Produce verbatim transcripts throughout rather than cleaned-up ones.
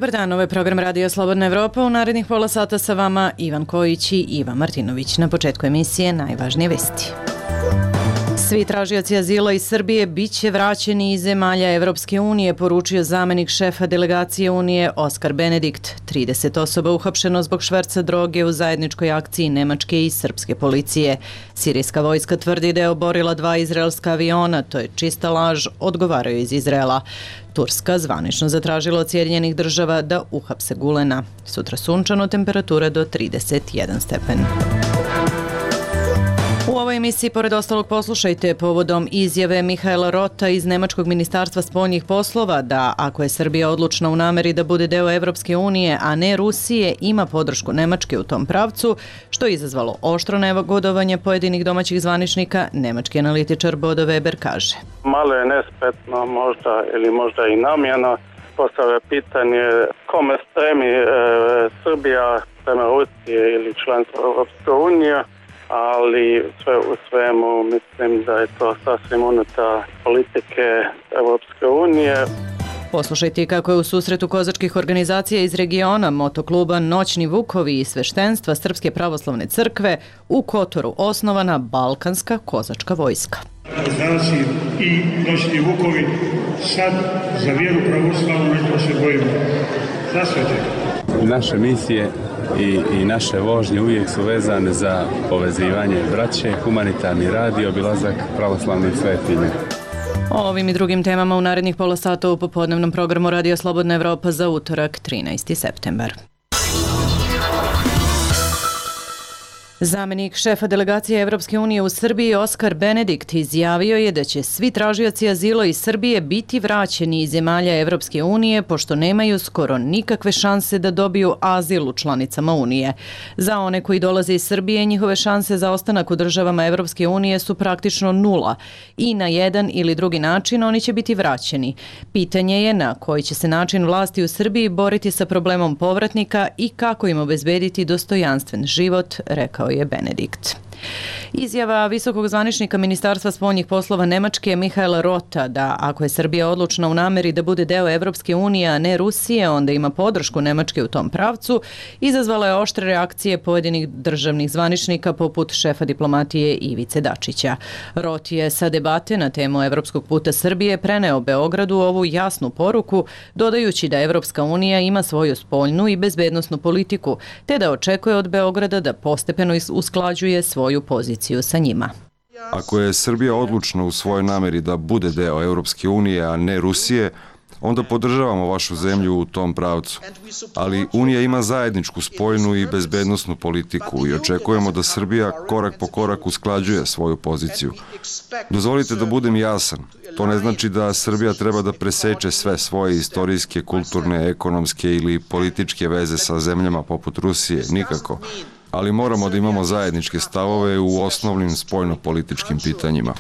Dobar dan, ovo je program Radio Slobodna Evropa. U narednih pola sata sa vama Ivan Kojić i Ivan Martinović. Na početku emisije najvažnije vesti. Svi tražioci azila iz Srbije bit će vraćeni iz zemalja Evropske unije, poručio zamenik šefa delegacije Unije Oskar Benedikt. trideset osoba uhapšeno zbog šverca droge u zajedničkoj akciji nemačke i srpske policije. Sirijska vojska tvrdi da je oborila dva izraelska aviona, to je čista laž, odgovaraju iz Izraela. Turska zvanično zatražila od Sjedinjenih država da uhapse Gulena. Sutra sunčano, temperatura do trideset jedan stepen. U ovoj emisiji, pored ostalog, poslušajte povodom izjave Mihaela Rota iz Nemačkog ministarstva spoljnih poslova da ako je Srbija odlučna u nameri da bude deo Evropske unije, a ne Rusije, ima podršku Nemačke u tom pravcu, što je izazvalo oštro negodovanje pojedinih domaćih zvaničnika. Nemački analitičar Bodo Weber kaže: Malo je nespretno možda ili možda i namjerno postavlja pitanje kome stremi e, Srbija prema Rusije ili članstvo Evropske unije, ali sve u svemu mislim da je to sasvim unutar politike Evropske unije. Poslušajte kako je u susretu kozačkih organizacija iz regiona, motokluba Noćni Vukovi i sveštenstva Srpske pravoslavne crkve u Kotoru osnovana Balkanska kozačka vojska. Znači i Noćni Vukovi sad za vjeru pravoslavnu nešto se bojimo. Zasveđe. Naše misije I, i naše vožnje uvijek su vezane za povezivanje braće, humanitarni rad i obilazak pravoslavnih svetinja. O ovim i drugim temama u narednih pola sata u popodnevnom programu Radio Slobodna Evropa za utorak, trinaesti septembar. Zamenik šefa delegacije Evropske unije u Srbiji Oskar Benedikt izjavio je da će svi tražioci azila iz Srbije biti vraćeni iz zemalja Evropske unije pošto nemaju skoro nikakve šanse da dobiju azil u članicama Unije. Za one koji dolaze iz Srbije, njihove šanse za ostanak u državama Evropske unije su praktično nula i na jedan ili drugi način oni će biti vraćeni. Pitanje je na koji će se način vlasti u Srbiji boriti sa problemom povratnika i kako im obezbediti dostojanstven život, rekao je Benedikt. Izjava visokog zvaničnika Ministarstva spoljnih poslova Nemačke Mihaela Rota da ako je Srbija odlučna u nameri da bude deo Evropske unije, a ne Rusije, onda ima podršku Nemačke u tom pravcu, izazvala je oštre reakcije pojedinih državnih zvaničnika poput šefa diplomatije Ivice Dačića. Rot je sa debate na temu evropskog puta Srbije preneo Beogradu ovu jasnu poruku, dodajući da Evropska unija ima svoju spoljnu i bezbednosnu politiku, te da očekuje od Beograda da postepeno usklađuje svoju poziciju sa njima. Ako je Srbija odlučna u svojoj nameri da bude deo Evropske unije, a ne Rusije, onda podržavamo vašu zemlju u tom pravcu. Ali Unija ima zajedničku spoljnu i bezbednosnu politiku i očekujemo da Srbija korak po korak usklađuje svoju poziciju. Dozvolite da budem jasan. To ne znači da Srbija treba da preseče sve svoje istorijske, kulturne, ekonomske ili političke veze sa zemljama poput Rusije, nikako. Ali moramo da imamo zajedničke stavove u osnovnim spoljno-političkim pitanjima.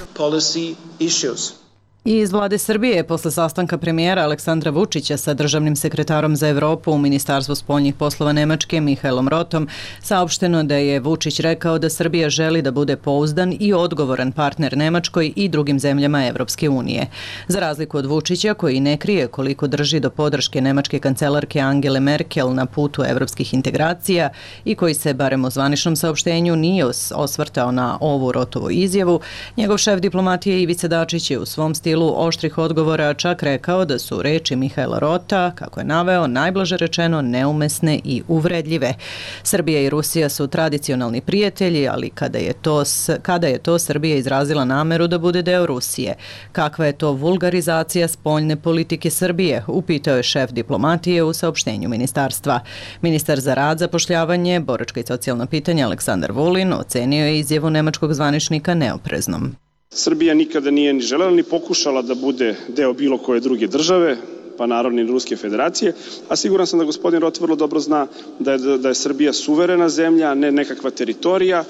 I iz vlade Srbije, posle sastanka premijera Aleksandra Vučića sa državnim sekretarom za Evropu u Ministarstvu spoljnih poslova Nemačke Mihaelom Rotom, saopšteno da je Vučić rekao da Srbija želi da bude pouzdan i odgovoran partner Nemačkoj i drugim zemljama Evropske unije. Za razliku od Vučića, koji ne krije koliko drži do podrške nemačke kancelarke Angele Merkel na putu evropskih integracija i koji se, barem u zvaničnom saopštenju, nije osvrtao na ovu Rotovu izjavu, njegov šef diplomatije Ivica Dačić je u svom stilu oštrih odgovora čak rekao da su reči Mihaela Rota, kako je naveo, najblaže rečeno neumesne i uvredljive. Srbija i Rusija su tradicionalni prijatelji, ali kada je to, kada je to Srbija izrazila nameru da bude deo Rusije? Kakva je to vulgarizacija spoljne politike Srbije? Upitao je šef diplomatije u saopštenju ministarstva. Ministar za rad, zapošljavanje, boračka i socijalna pitanja Aleksandar Vulin ocenio je izjavu nemačkog zvaničnika neopreznom. Srbija nikada nije ni želela ni pokušala da bude deo bilo koje druge države, pa naravno i Ruske federacije, a siguran sam da gospodin Rot vrlo dobro zna da je, da je Srbija suverena zemlja, a ne nekakva teritorija,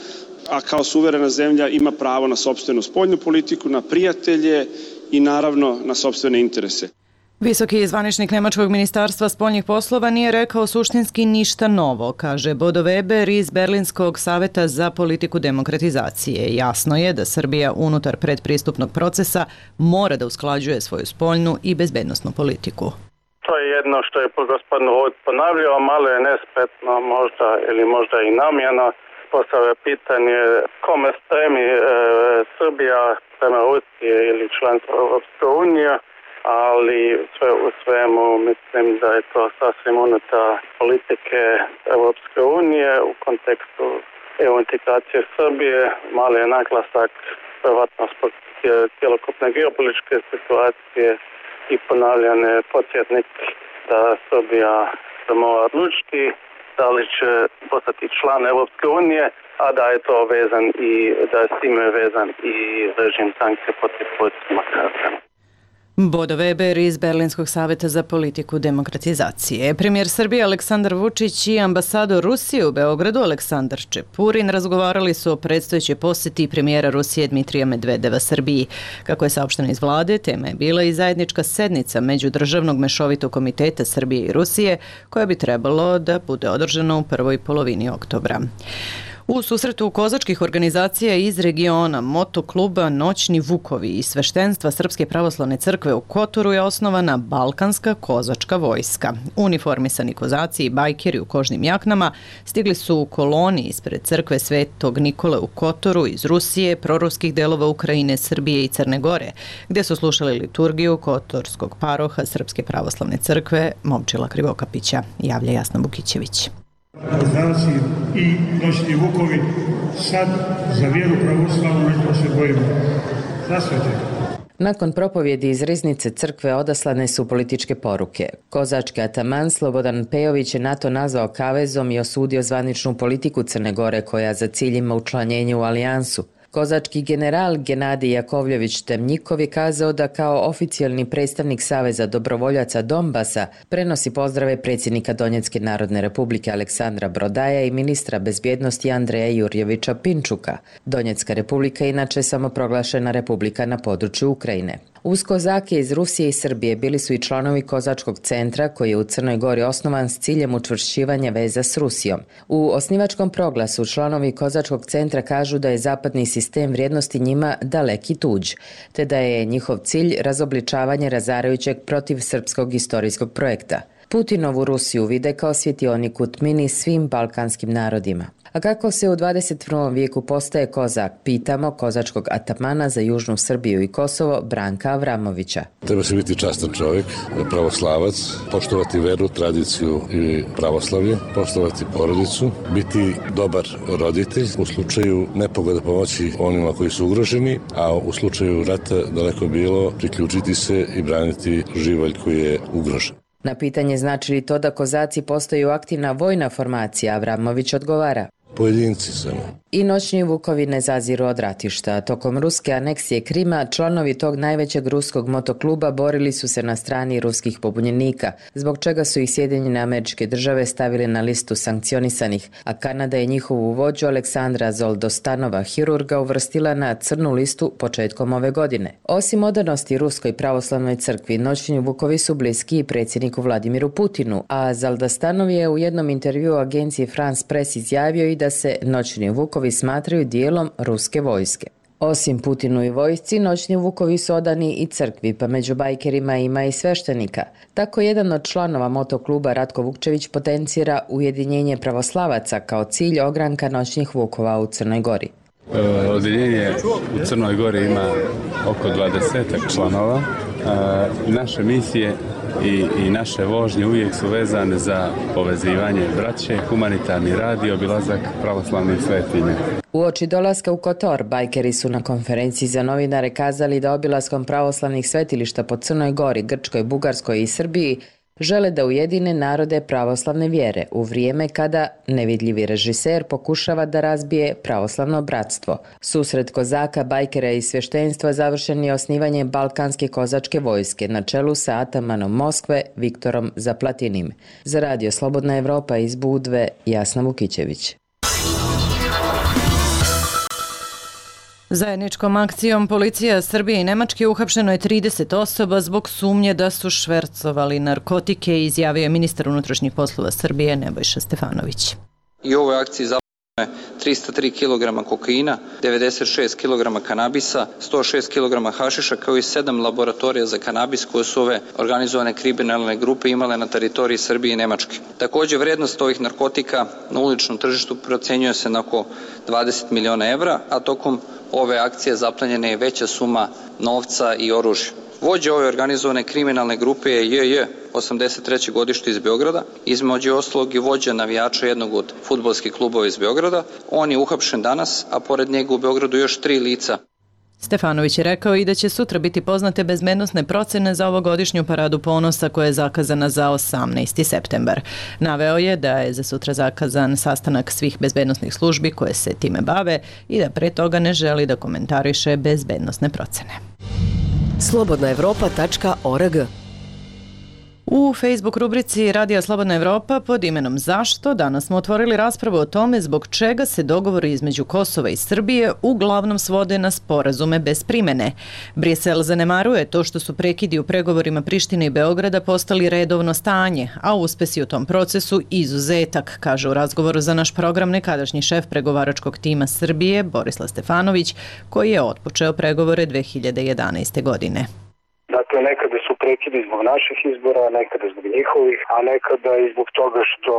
a kao suverena zemlja ima pravo na sopstvenu spoljnu politiku, na prijatelje i naravno na sopstvene interese. Visoki zvaničnik Nemačkog ministarstva spoljnih poslova nije rekao suštinski ništa novo, kaže Bodo Weber iz Berlinskog saveta za politiku demokratizacije. Jasno je da Srbija unutar predpristupnog procesa mora da usklađuje svoju spoljnu i bezbednosnu politiku. To je jedno što je gospodin Rod ponavljao, malo je nespretno možda ili možda i namjerno postavlja pitanje kome stremi e, Srbija prema Rusije ili članstvo Europske unije, ali sve u svemu mislim da je to sasvim unutar politike Europske unije u kontekstu E U integracije Srbije. Mali je naglasak vjerovatno zbog cjelokupne geopolitičke situacije i ponavljan je podsjetnik da Srbija se mora odlučiti da li će postati član Europske unije, a da je to vezan i da je s time vezan i režim sankcije protiv političkog karaktera. Bodo Weber iz Berlinskog savjeta za politiku demokratizacije. Premijer Srbije Aleksandar Vučić i ambasador Rusije u Beogradu Aleksandar Čepurin razgovarali su o predstojećoj posjeti premijera Rusije Dmitrija Medvedeva Srbiji. Kako je saopšteno iz vlade, tema je bila i zajednička sednica Međudržavnog mešovitog komiteta Srbije i Rusije, koja bi trebalo da bude održana u prvoj polovini oktobra. U susretu kozačkih organizacija iz regiona, motokluba Noćni Vukovi i sveštenstva Srpske pravoslavne crkve u Kotoru je osnovana Balkanska kozačka vojska. Uniformisani kozaci i bajkeri u kožnim jaknama stigli su u koloni ispred crkve Svetog Nikole u Kotoru iz Rusije, proruskih delova Ukrajine, Srbije i Crne Gore, gdje su slušali liturgiju Kotorskog paroha Srpske pravoslavne crkve Momčila Krivokapića, javlja Jasna Bukićević. Kozaci i Noćni Vukovi sad za vjeru pravoslavnu nešto se bojimo. Zasvete. Nakon propovjedi iz riznice crkve odaslane su političke poruke. Kozački ataman Slobodan Pejović je NATO nazvao kavezom i osudio zvaničnu politiku Crne Gore koja za cilj ima učlanjenje u alijansu. Kozački general Genadij Jakovljević Temnjikov je kazao da kao oficijalni predstavnik Saveza dobrovoljaca Donbasa prenosi pozdrave predsjednika Donjecke narodne republike Aleksandra Brodaja i ministra bezbjednosti Andreja Jurjevića Pinčuka. Donjecka republika je inače samoproglašena republika na području Ukrajine. Uz kozake iz Rusije i Srbije bili su i članovi Kozačkog centra koji je u Crnoj Gori osnovan s ciljem učvršćivanja veza s Rusijom. U osnivačkom proglasu članovi Kozačkog centra kažu da je zapadni sistem vrijednosti njima daleki tuđ, te da je njihov cilj razobličavanje razarajućeg protiv srpskog istorijskog projekta. Putinovu Rusiju vide kao svjetionik u tmini svim balkanskim narodima. A kako se u dvadeset prvom vijeku postaje kozak, pitamo kozačkog atamana za Južnu Srbiju i Kosovo Branka Avramovića. Treba se biti častan čovjek, pravoslavac, poštovati veru, tradiciju i pravoslavlje, poštovati porodicu, biti dobar roditelj, u slučaju nepogoda pomoći onima koji su ugroženi, a u slučaju rata daleko bilo priključiti se i braniti živalj koji je ugrožen. Na pitanje znači li to da kozaci postaju aktivna vojna formacija, Avramović odgovara. Pojedinci samo. I Noćni Vukovi ne zaziru od ratišta. Tokom ruske aneksije Krima, članovi tog najvećeg ruskog motokluba borili su se na strani ruskih pobunjenika, zbog čega su ih Sjedinjene Američke Države stavili na listu sankcionisanih, a Kanada je njihovu vođu Aleksandra Zoldostanova, hirurga, uvrstila na crnu listu početkom ove godine. Osim odanosti Ruskoj pravoslavnoj crkvi, Noćni Vukovi su bliski i predsjedniku Vladimiru Putinu, a Zoldostanov je u jednom intervjuu agenciji France Press izjavio i da se Noćni Vukovi smatraju dijelom ruske vojske. Osim Putinu i vojsci, Noćni Vukovi su odani i crkvi, pa među bajkerima ima i sveštenika. Tako jedan od članova motokluba Ratko Vukčević potencira ujedinjenje pravoslavaca kao cilj ogranka Noćnih Vukova u Crnoj Gori. Odjeljenje u Crnoj Gori ima oko dvadesetak članova. Naše misije i, i naše vožnje uvijek su vezane za povezivanje braće, humanitarni rad i obilazak pravoslavnih svetinja. Uoči dolaska u Kotor, bajkeri su na konferenciji za novinare kazali da obilaskom pravoslavnih svetilišta po Crnoj Gori, Grčkoj, Bugarskoj i Srbiji žele da ujedine narode pravoslavne vjere u vrijeme kada nevidljivi režiser pokušava da razbije pravoslavno bratstvo. Susret kozaka, bajkera i sveštenstva završen je osnivanjem Balkanske kozačke vojske na čelu sa atamanom Moskve Viktorom Zaplatinim. Za Radio Slobodna Evropa iz Budve, Jasna Vukićević. Zajedničkom akcijom policija Srbije i Nemačke uhapšeno je trideset osoba zbog sumnje da su švercovali narkotike, izjavio je ministar unutrašnjih poslova Srbije Nebojša Stefanović. I ovoj akciji trista tri kilograma kokaina, devedeset šest kilograma kanabisa, sto šest kilograma hašiša, kao i sedam laboratorija za kanabis koje su ove organizovane kriminalne grupe imale na teritoriji Srbije i Nemačke. Takođe, vrednost ovih narkotika na uličnom tržištu procenjuje se na oko dvadeset miliona evra, a tokom ove akcije zaplenjena je veća suma novca i oružja. Vođa ove organizovane kriminalne grupe je J J, osamdeset treće godište iz Beograda, između ostalog i vođa navijača jednog od fudbalskih klubova iz Beograda. On je uhapšen danas, a pored njega u Beogradu još tri lica. Stefanović je rekao i da će sutra biti poznate bezbednosne procene za ovogodišnju paradu ponosa koja je zakazana za osamnaesti septembar. Naveo je da je za sutra zakazan sastanak svih bezbednosnih službi koje se time bave i da pre toga ne želi da komentariše bezbednosne procene. slobodna evropa tačka org. U Facebook rubrici Radija Slobodna Evropa pod imenom Zašto danas smo otvorili raspravu o tome zbog čega se dogovori između Kosova i Srbije uglavnom svode na sporazume bez primene. Brisel zanemaruje to što su prekidi u pregovorima Prištine i Beograda postali redovno stanje, a uspesi u tom procesu izuzetak, kaže u razgovoru za naš program nekadašnji šef pregovaračkog tima Srbije Borislav Stefanović, koji je otpočeo pregovore dve hiljade jedanaeste. godine. Dakle, nekada su prekidi zbog naših izbora, nekada zbog njihovih, a nekada i zbog toga što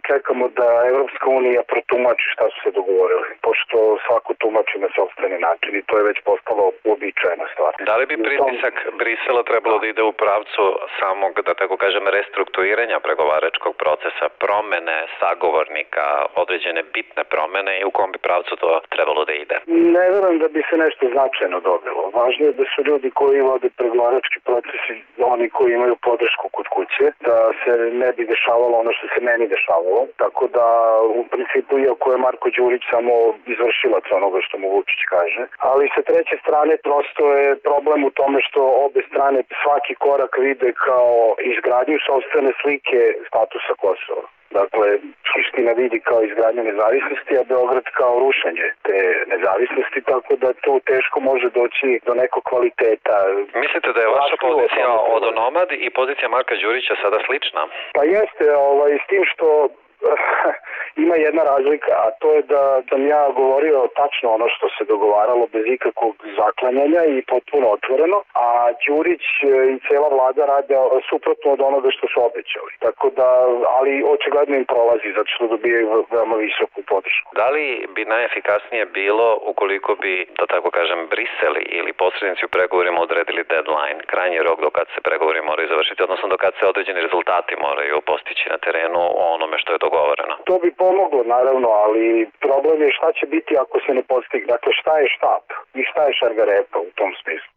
čekamo da Evropska unija protumači šta su se dogovorili, pošto svako tumači na sopstveni način i to je već postalo uobičajena stvar. Da li bi pritisak Brisela trebalo da ide u pravcu samog, da tako kažem, restrukturiranja pregovaračkog procesa, promene sagovornika, određene bitne promene i u kom bi pravcu to trebalo da ide? Ne verujem da bi se nešto značajno dobilo. Važno je da su ljudi koji vode pregovarački procesi oni koji imaju podršku kod kuće, da se ne bi dešavalo ono što se meni dešavalo. Tako da, u principu, iako je Marko Đurić samo izvršilac onoga što mu Vučić kaže. Ali sa treće strane, prosto je problem u tome što obe strane svaki korak vide kao izgradnju sopstvene slike statusa Kosova. Dakle, Priština vidi kao izgradnju nezavisnosti, a Beograd kao rušenje te nezavisnosti, tako da tu teško može doći do nekog kvaliteta. Mislite da je vaša pozicija odonomad i pozicija Marka Đurića sada slična? Pa jeste, ovaj, s tim što ima jedna razlika, a to je da sam ja govorio tačno ono što se dogovaralo bez ikakvog zaklanjanja i potpuno otvoreno, a Đurić i cela vlada rade suprotno od onoga što su obećali. Tako da, ali očigledno im prolazi, zato što dobijaju veoma visoku podršku. Da li bi najefikasnije bilo ukoliko bi, da tako kažem, Brisel ili posrednici u pregovorima odredili deadline, krajnji rok do kad se pregovori moraju završiti, odnosno do kad se određeni rezultati moraju postići na terenu o onome što je dogovoreno? To bi pomoglo, naravno, ali problem je šta će biti ako se ne postigne. Dakle, šta je štap i šta je šargarepa u tom smislu.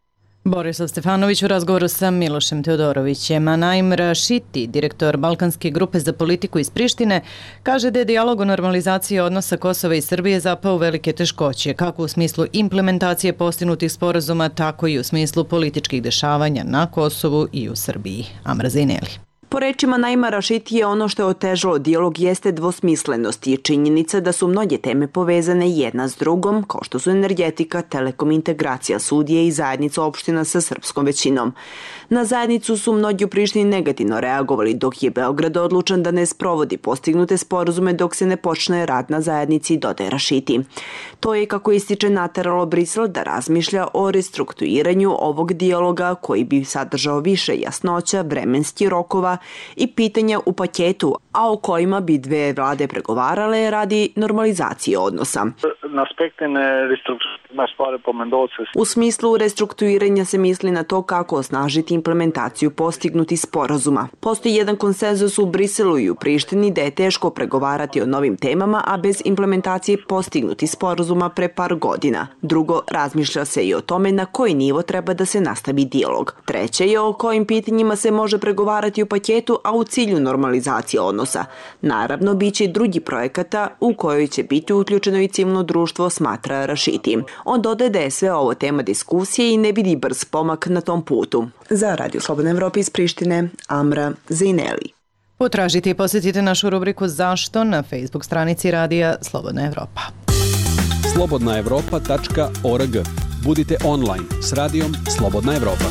Borislav Stefanović u razgovoru sa Milošem Teodorovićem. A Naim Rašiti, direktor Balkanske grupe za politiku iz Prištine, kaže da je dijalog o normalizaciji odnosa Kosova i Srbije zapao u velike teškoće, kako u smislu implementacije postignutih sporazuma, tako i u smislu političkih dešavanja na Kosovu i u Srbiji. Amra Zineli. Po rečima Naima Rašitije, ono što je otežalo dijalog jeste dvosmislenost i činjenica da su mnoge teme povezane jedna s drugom, kao što su energetika, telekom, integracija sudije i zajednica opština sa srpskom većinom. Na zajednicu su mnogi u Prištini negativno reagovali, dok je Beograd odlučan da ne sprovodi postignute sporazume dok se ne počne rad na zajednici, dodaje Rašiti. To je, kako ističe, nateralo Brisel da razmišlja o restrukturiranju ovog dijaloga koji bi sadržao više jasnoća, vremenskih rokova i pitanja u paketu, a o kojima bi dve vlade pregovarale radi normalizacije odnosa. U smislu restrukturiranja se misli na to kako osnažiti implementaciju postignutih sporazuma. Postoji jedan konsenzus u Briselu i u Prištini da je teško pregovarati o novim temama, a bez implementacije postignutih sporazuma pre par godina. Drugo, razmišlja se i o tome na koji nivo treba da se nastavi dijalog. Treće je o kojim pitanjima se može pregovarati u paketu, a u cilju normalizacije odnosa. Naravno, bit će i drugi projekata u kojoj će biti uključeno i civilno društvo, smatra Rašiti. On dodaje da je sve ovo tema diskusije i ne vidi brz pomak na tom putu. Za Radio Slobodna Evropa iz Prištine, Amra Zineli. Potražite i posjetite našu rubriku Zašto na Facebook stranici Radija Slobodna Evropa. slobodna evropa tačka org. Budite online s Radijom Slobodna Evropa.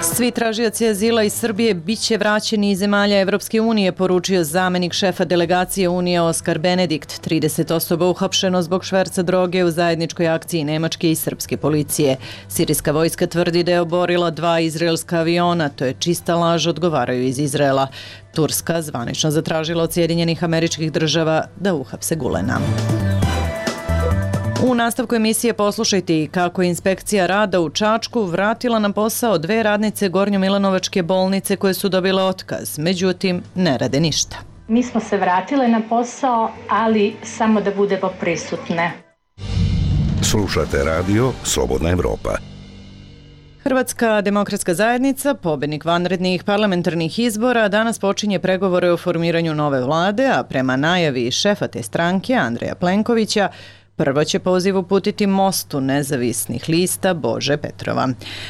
Svi tražioci azila iz Srbije bit će vraćeni iz zemalja Evropske unije, poručio zamenik šefa delegacije Unije Oskar Benedikt. trideset osoba uhapšeno zbog šverca droge u zajedničkoj akciji nemačke i srpske policije. Sirijska vojska tvrdi da je oborila dva izraelska aviona, to je čista laž, odgovaraju iz Izraela. Turska zvanično zatražila od Sjedinjenih Američkih Država da uhapse Gulena. U nastavku emisije poslušajte i kako je inspekcija rada u Čačku vratila na posao dve radnice Gornjo-Milanovačke bolnice koje su dobile otkaz. Međutim, ne rade ništa. Mi smo se vratile na posao, ali samo da budemo prisutne. Slušate radio Slobodna Evropa. Hrvatska demokratska zajednica, pobednik vanrednih parlamentarnih izbora, danas počinje pregovore o formiranju nove vlade, a prema najavi šefa te stranke, Andreja Plenkovića, prvo će poziv uputiti Mostu nezavisnih lista Bože Petrova.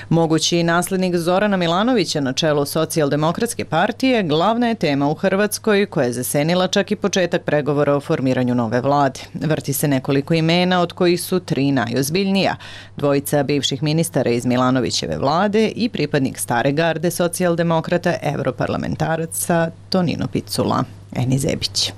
Mogući naslednik Zorana Milanovića na čelu Socijaldemokratske partije glavna je tema u Hrvatskoj koja je zasenila čak i početak pregovora o formiranju nove vlade. Vrti se nekoliko imena od kojih su tri najozbiljnija. Dvojica bivših ministara iz Milanovićeve vlade i pripadnik stare garde socijaldemokrata europarlamentaraca Tonino Picula. Eni Zebić.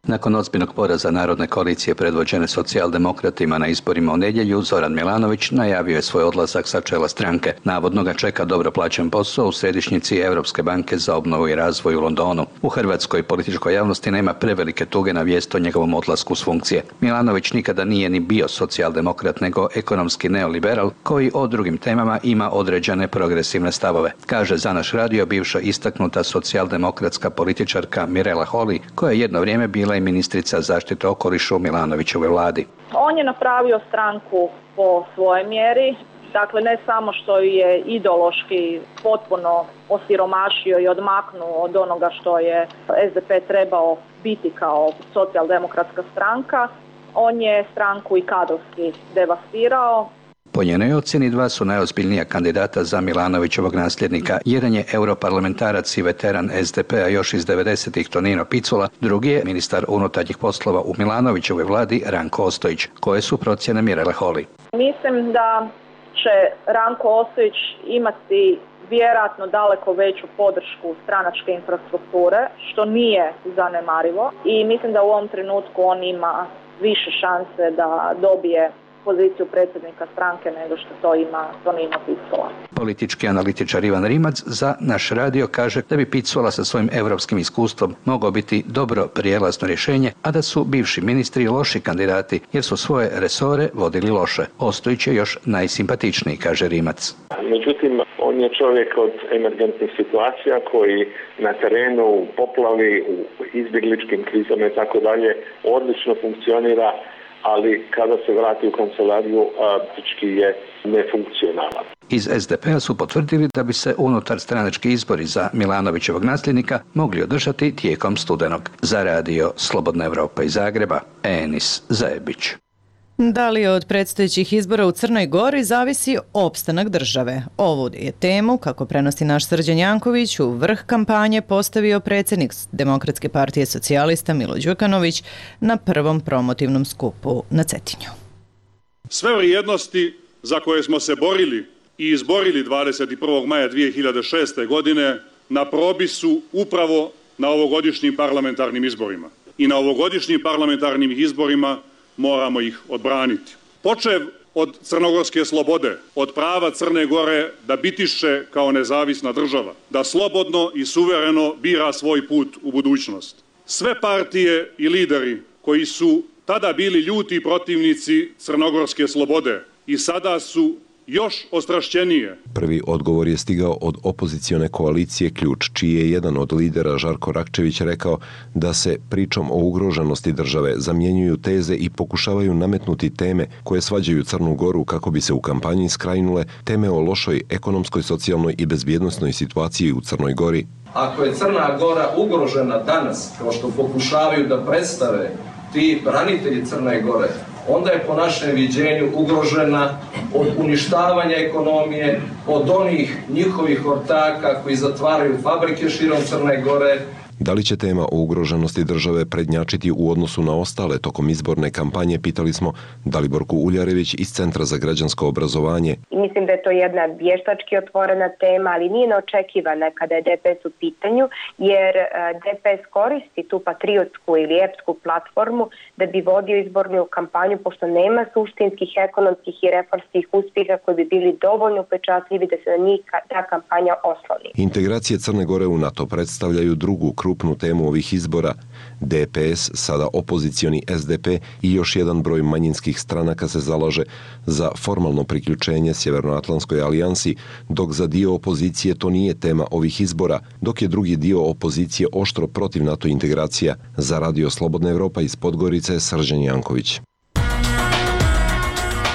Nakon ozbiljnog poraza Narodne koalicije predvođene socijaldemokratima na izborima u nedjelju, Zoran Milanović najavio je svoj odlazak sa čela stranke. Navodno ga čeka dobro plaćen posao u središnjici Europske banke za obnovu i razvoj u Londonu. U hrvatskoj političkoj javnosti nema prevelike tuge na vijest o njegovom odlasku s funkcije. Milanović nikada nije ni bio socijaldemokrat, nego ekonomski neoliberal koji o drugim temama ima određene progresivne stavove. Kaže za naš radio bivša istaknuta socijaldemokratska političarka Mirela Holy, koja je jedno vrijeme bila i ministrica zaštite okoliša u Milanovićevoj vladi. On je napravio stranku po svojoj mjeri, dakle ne samo što je ideološki potpuno osiromašio i odmaknuo od onoga što je es de pe trebao biti kao socijaldemokratska stranka, on je stranku i kadrovski devastirao. Po njenoj ocjeni dva su najozbiljnija kandidata za Milanovićevog nasljednika. Jedan je europarlamentarac i veteran es de pe-a još iz devedesetih Tonino Picula, drugi je ministar unutarnjih poslova u Milanovićevoj vladi Ranko Ostojić. Koje su procjene Mirele Holy? Mislim da će Ranko Ostojić imati vjerojatno daleko veću podršku stranačke infrastrukture, što nije zanemarivo, i mislim da u ovom trenutku on ima više šanse da dobije poziciju predsjednika stranke nego što to ima Tonino Picula. Politički analitičar Ivan Rimac za naš radio kaže da bi Picula sa svojim europskim iskustvom mogao biti dobro prijelazno rješenje, a da su bivši ministri loši kandidati jer su svoje resore vodili loše. Ostojić je još najsimpatičniji, kaže Rimac. Međutim, on je čovjek od emergentnih situacija koji na terenu, u poplavi, u izbjegličkim krizama i tako dalje odlično funkcionira, ali kada se vrati u kancelariju, praktički je nefunkcionalan. Iz es de pe-a su potvrdili da bi se unutar stranački izbori za Milanovićevog nasljednika mogli održati tijekom studenog. Za radio Slobodna Evropa iz Zagreba, Enis Zajebić. Da li od predstojećih izbora u Crnoj Gori zavisi opstanak države? Ovu je temu, kako prenosi naš Srđan Janković, u vrh kampanje postavio predsjednik Demokratske partije socijalista Milo Đukanović na prvom promotivnom skupu na Cetinju. Sve vrijednosti za koje smo se borili i izborili dvadeset prvog maja dvije hiljade šeste. godine na probi su upravo na ovogodišnjim parlamentarnim izborima. I na ovogodišnjim parlamentarnim izborima moramo ih odbraniti. Počev od crnogorske slobode, od prava Crne Gore da bitiše kao nezavisna država, da slobodno i suvereno bira svoj put u budućnost. Sve partije i lideri koji su tada bili ljuti protivnici crnogorske slobode i sada su još ostrašćenije. Prvi odgovor je stigao od opozicione koalicije Ključ, čiji je jedan od lidera Žarko Rakčević rekao da se pričom o ugroženosti države zamjenjuju teze i pokušavaju nametnuti teme koje svađaju Crnu Goru kako bi se u kampanji skrajnule teme o lošoj ekonomskoj, socijalnoj i bezbjednosnoj situaciji u Crnoj Gori. Ako je Crna Gora ugrožena danas, kao što pokušavaju da predstave ti branitelji Crne Gore, onda je po našem viđenju ugrožena od uništavanja ekonomije, od onih njihovih ortaka koji zatvaraju fabrike širom Crne Gore. Da li će tema o ugroženosti države prednjačiti u odnosu na ostale tokom izborne kampanje, pitali smo Daliborku Uljarević iz Centra za građansko obrazovanje. Mislim da je to jedna vještački otvorena tema, ali nije neočekivana kada je D P S u pitanju, jer D P S koristi tu patriotsku ili epsku platformu da bi vodio izbornu kampanju, pošto nema suštinskih, ekonomskih i reformskih uspjeha koji bi bili dovoljno upečatljivi da se na njih ta kampanja osloni. Integracije Crne Gore u NATO predstavljaju drugu krupnu temu ovih izbora. D P S, sada opozicioni S D P i još jedan broj manjinskih stranaka se zalaže za formalno priključenje Sjevernoatlantskoj alijansi, dok za dio opozicije to nije tema ovih izbora, dok je drugi dio opozicije oštro protiv NATO integracija. Za Radio Slobodna Evropa iz Podgorice, Srđan Janković.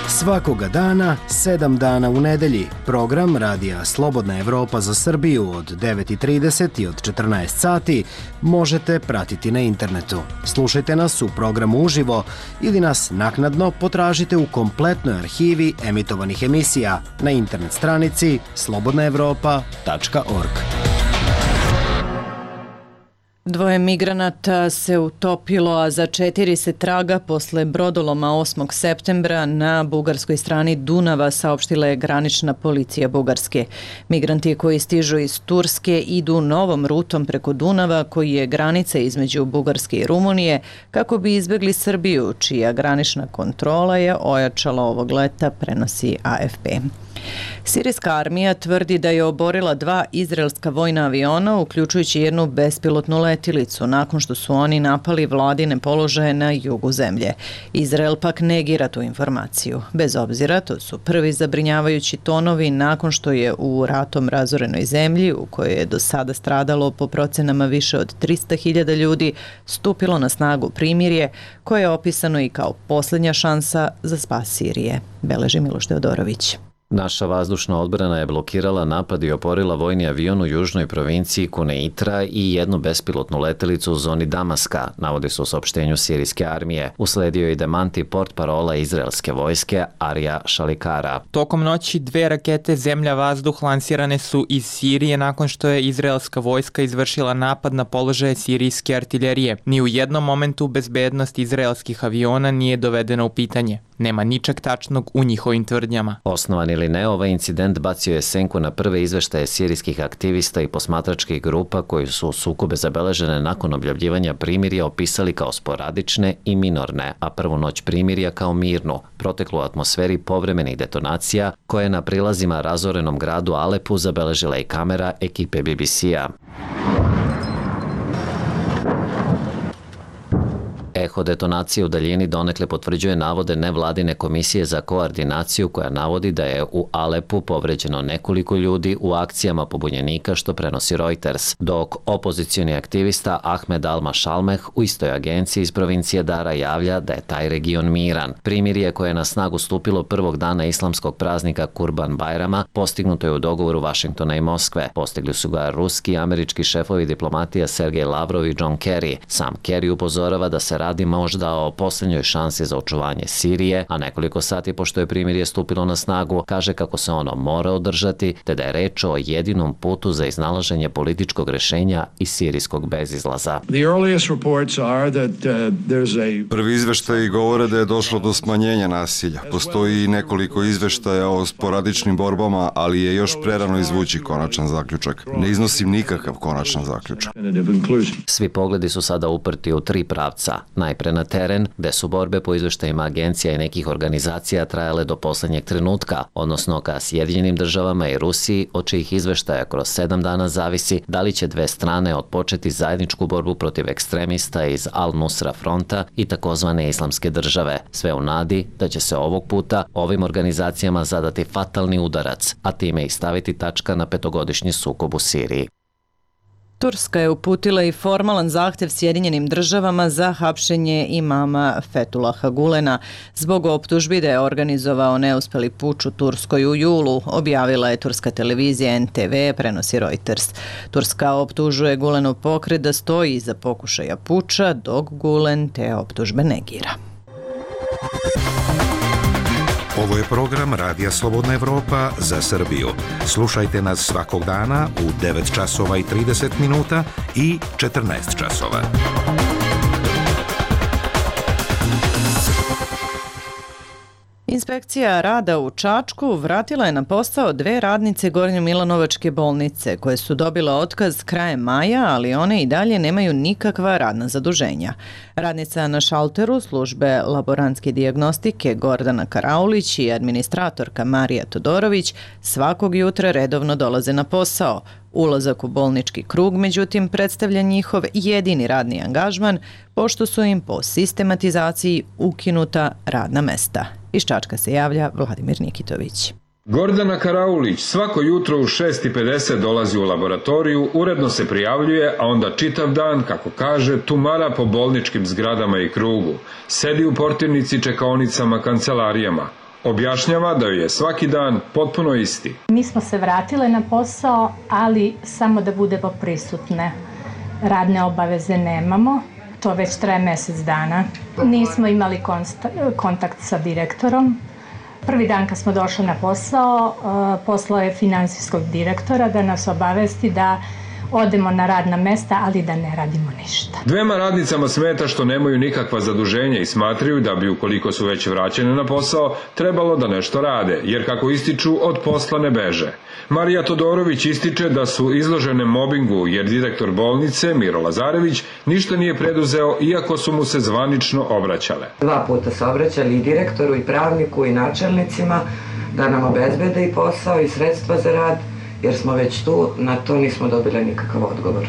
Svakoga dana, sedam dana u nedelji, program Radija Slobodna Evropa za Srbiju od devet i trideset i od četrnaest sati možete pratiti na internetu. Slušajte nas u programu uživo ili nas naknadno potražite u kompletnoj arhivi emitovanih emisija na internet stranici slobodna evropa tačka org. Dvoje migranata se utopilo, a za četiri se traga posle brodoloma osmog septembra na bugarskoj strani Dunava, saopštila je granična policija Bugarske. Migranti koji stižu iz Turske idu novom rutom preko Dunava, koji je granica između Bugarske i Rumunije, kako bi izbjegli Srbiju, čija granična kontrola je ojačala ovog leta, prenosi A F P. Sirijska armija tvrdi da je oborila dva izraelska vojna aviona, uključujući jednu bespilotnu letilicu, nakon što su oni napali vladine položaje na jugu zemlje. Izrael pak negira tu informaciju. Bez obzira, to su prvi zabrinjavajući tonovi nakon što je u ratom razorenoj zemlji, u kojoj je do sada stradalo po procenama više od trista hiljada ljudi, stupilo na snagu primirje, koje je opisano i kao posljednja šansa za spas Sirije. Beleži Miloš Teodorović. Naša vazdušna odbrana je blokirala napad i oporila vojni avion u južnoj provinciji Kuneitra i jednu bespilotnu letelicu u zoni Damaska, navodi se u saopštenju sirijske armije. Usledio je i demanti portparola izraelske vojske Arija Šalikara. Tokom noći dve rakete zemlja-vazduh lansirane su iz Sirije nakon što je izraelska vojska izvršila napad na položaje sirijske artiljerije. Ni u jednom momentu bezbednost izraelskih aviona nije dovedena u pitanje. Nema ničeg tačnog u njihovim tvrdnjama. Osnovan ili ne, ovaj incident bacio je senku na prve izveštaje sirijskih aktivista i posmatračkih grupa koji su sukobe zabeležene nakon objavljivanja primirja opisali kao sporadične i minorne, a prvu noć primirja kao mirnu, proteklu u atmosferi povremenih detonacija koje je na prilazima razorenom gradu Alepu zabeležila i kamera ekipe B B C-a. Eho detonacije u daljini donekle potvrđuje navode nevladine komisije za koordinaciju koja navodi da je u Alepu povređeno nekoliko ljudi u akcijama pobunjenika, što prenosi Reuters, dok opozicioni aktivista Ahmed Al-Mashalmeh u istoj agenciji iz provincije Dara javlja da je taj region miran. Primirje koje je na snagu stupilo prvog dana islamskog praznika Kurban Bajrama postignuto je u dogovoru Vašingtona i Moskve. Postigli su ga ruski i američki šefovi diplomatija Sergej Lavrov i John Kerry. Sam Kerry upozorava da se radi možda o posljednjoj šansi za očuvanje Sirije, a nekoliko sati pošto je primirje stupilo na snagu, kaže kako se ono mora održati, te da je reč o jedinom putu za iznalaženje političkog rešenja i sirijskog bezizlaza. Prvi izveštaji govore da je došlo do smanjenja nasilja. Postoji i nekoliko izveštaja o sporadičnim borbama, ali je još prerano izvući konačan zaključak. Ne iznosim nikakav konačan zaključak. Svi pogledi su sada uprti u tri pravca. Najpre na teren, gde su borbe po izveštajima agencija i nekih organizacija trajale do poslednjeg trenutka, odnosno ka Sjedinjenim državama i Rusiji, od čijih izveštaja kroz sedam dana zavisi da li će dve strane otpočeti zajedničku borbu protiv ekstremista iz Al-Nusra fronta i takozvane islamske države, sve u nadi da će se ovog puta ovim organizacijama zadati fatalni udarac, a time i staviti tačka na petogodišnji sukob u Siriji. Turska je uputila i formalan zahtev Sjedinjenim državama za hapšenje imama Fetulaha Gulena zbog optužbi da je organizovao neuspeli puč u Turskoj u julu, objavila je turska televizija N T V, prenosi Reuters. Turska optužuje Gulenov pokret da stoji iza pokušaja puča, dok Gulen te optužbe negira. Ovo je program Radija Slobodna Evropa za Srbiju. Slušajte nas svakog dana u devet časova i trideset minuta i četrnaest časova. Inspekcija rada u Čačku vratila je na posao dve radnice Gornjomilanovačke bolnice koje su dobile otkaz krajem maja, ali one i dalje nemaju nikakva radna zaduženja. Radnica na šalteru službe laborantske dijagnostike Gordana Karaulić i administratorka Marija Todorović svakog jutra redovno dolaze na posao. Ulazak u bolnički krug, međutim, predstavlja njihov jedini radni angažman, pošto su im po sistematizaciji ukinuta radna mesta. Iz Čačka se javlja Vladimir Nikitović. Gordana Karaulić svako jutro u šest i pedeset dolazi u laboratoriju, uredno se prijavljuje, a onda čitav dan, kako kaže, tumara po bolničkim zgradama i krugu. Sedi u portirnici, čekaonicama, kancelarijama. Objašnjava da joj je svaki dan potpuno isti. Mi smo se vratile na posao, ali samo da budemo prisutne. Radne obaveze nemamo, to već traje mjesec dana. Nismo imali kontakt sa direktorom. Prvi dan kad smo došli na posao, poslao je finansijskog direktora da nas obavesti da odemo na radna mesta, ali da ne radimo ništa. Dvema radnicama smeta što nemaju nikakva zaduženja i smatraju da bi, ukoliko su već vraćene na posao, trebalo da nešto rade, jer kako ističu, od posla ne beže. Marija Todorović ističe da su izložene mobingu, jer direktor bolnice, Miro Lazarević, ništa nije preduzeo, iako su mu se zvanično obraćale. Dva puta se obraćali i direktoru, i pravniku, i načelnicima da nam obezbede i posao i sredstva za rad, jer smo već tu, na to nismo dobili nikakav odgovor.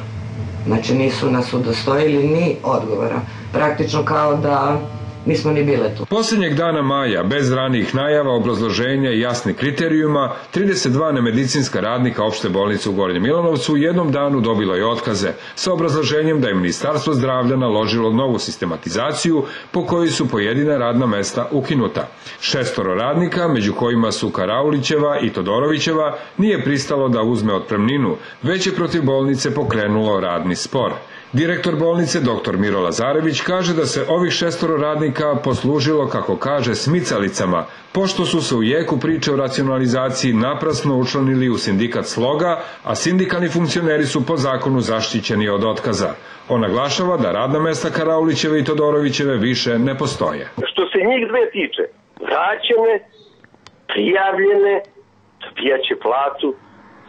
Znači nisu nas udostojili ni odgovora. Praktično kao da nismo ni bile tu. Posljednjeg dana maja, bez ranijih najava, obrazloženja i jasnih kriterijuma, trideset dva nemedicinska radnika opšte bolnice u Gornjem Milanovcu u jednom danu dobilo je otkaze, sa obrazloženjem da je Ministarstvo zdravlja naložilo novu sistematizaciju po kojoj su pojedina radna mesta ukinuta. Šestoro radnika, među kojima su Karaulićeva i Todorovićeva, nije pristalo da uzme otpremninu, već je protiv bolnice pokrenulo radni spor. Direktor bolnice, doktor Miro Lazarević, kaže da se ovih šestoro radnika poslužilo, kako kaže, smicalicama, pošto su se u jeku priče o racionalizaciji naprasno učlanili u sindikat Sloga, a sindikalni funkcioneri su po zakonu zaštićeni od otkaza. On naglašava da radna mesta Karaulićeve i Todorovićeve više ne postoje. Što se njih dve tiče, vraćene, prijavljene, dobijaće platu,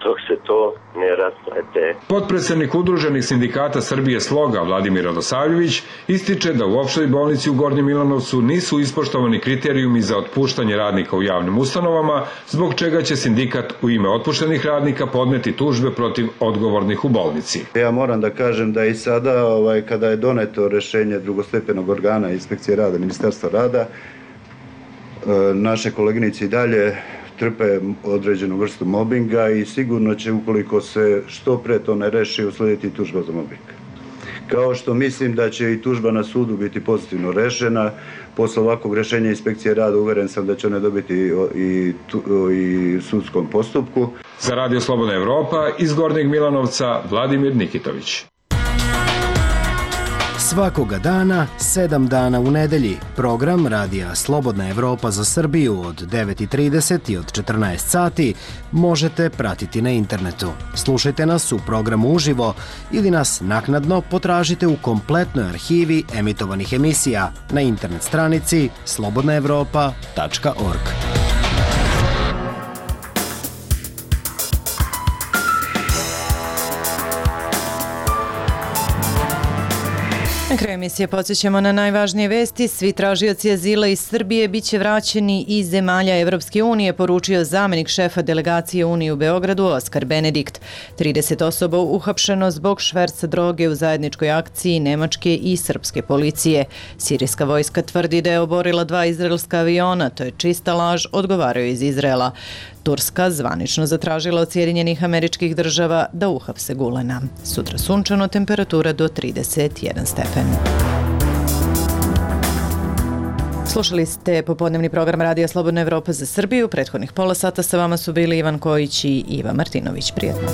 dok se to ne rasplete. Potpredsednik Udruženih sindikata Srbije Sloga, Vladimir Radosavljević, ističe da u opštoj bolnici u Gornjem Milanovcu nisu ispoštovani kriterijumi za otpuštanje radnika u javnim ustanovama, zbog čega će sindikat u ime otpuštenih radnika podneti tužbe protiv odgovornih u bolnici. Ja moram da kažem da i sada, ovaj, kada je doneto rešenje drugostepenog organa Inspekcije rada, Ministarstva rada, naše koleginice i dalje trpe određenu vrstu mobinga i sigurno će, ukoliko se što pre to ne reši, uslediti tužba za mobing. Kao što mislim da će i tužba na sudu biti pozitivno rešena, posle ovakvog rešenja Inspekcije rada uveren sam da će one dobiti i, i sudskom postupku. Za Radio Slobodna Evropa iz Gornjeg Milanovca, Vladimir Nikitović. Svakoga dana, sedam dana u nedelji, program Radija Slobodna Evropa za Srbiju od devet i trideset i od četrnaest sati možete pratiti na internetu. Slušajte nas u programu uživo ili nas naknadno potražite u kompletnoj arhivi emitovanih emisija na internet stranici slobodna evropa tačka org. Na kraju emisije podsjećamo na najvažnije vesti. Svi tražioci azila iz Srbije biće vraćeni iz zemalja Evropske unije, poručio zamenik šefa delegacije Unije u Beogradu Oskar Benedikt. trideset osoba uhapšeno zbog šverca droge u zajedničkoj akciji nemačke i srpske policije. Sirijska vojska tvrdi da je oborila dva izraelska aviona, to je čista laž, odgovaraju iz Izraela. Turska zvanično zatražila od Sjedinjenih Američkih Država da uhapse Gulena. Sutra sunčano, temperatura do trideset jedan stepen. Slušali ste popodnevni program Radija Slobodna Evropa za Srbiju. Prethodnih pola sata sa vama su bili Ivan Kojić i Iva Martinović. Prijetno.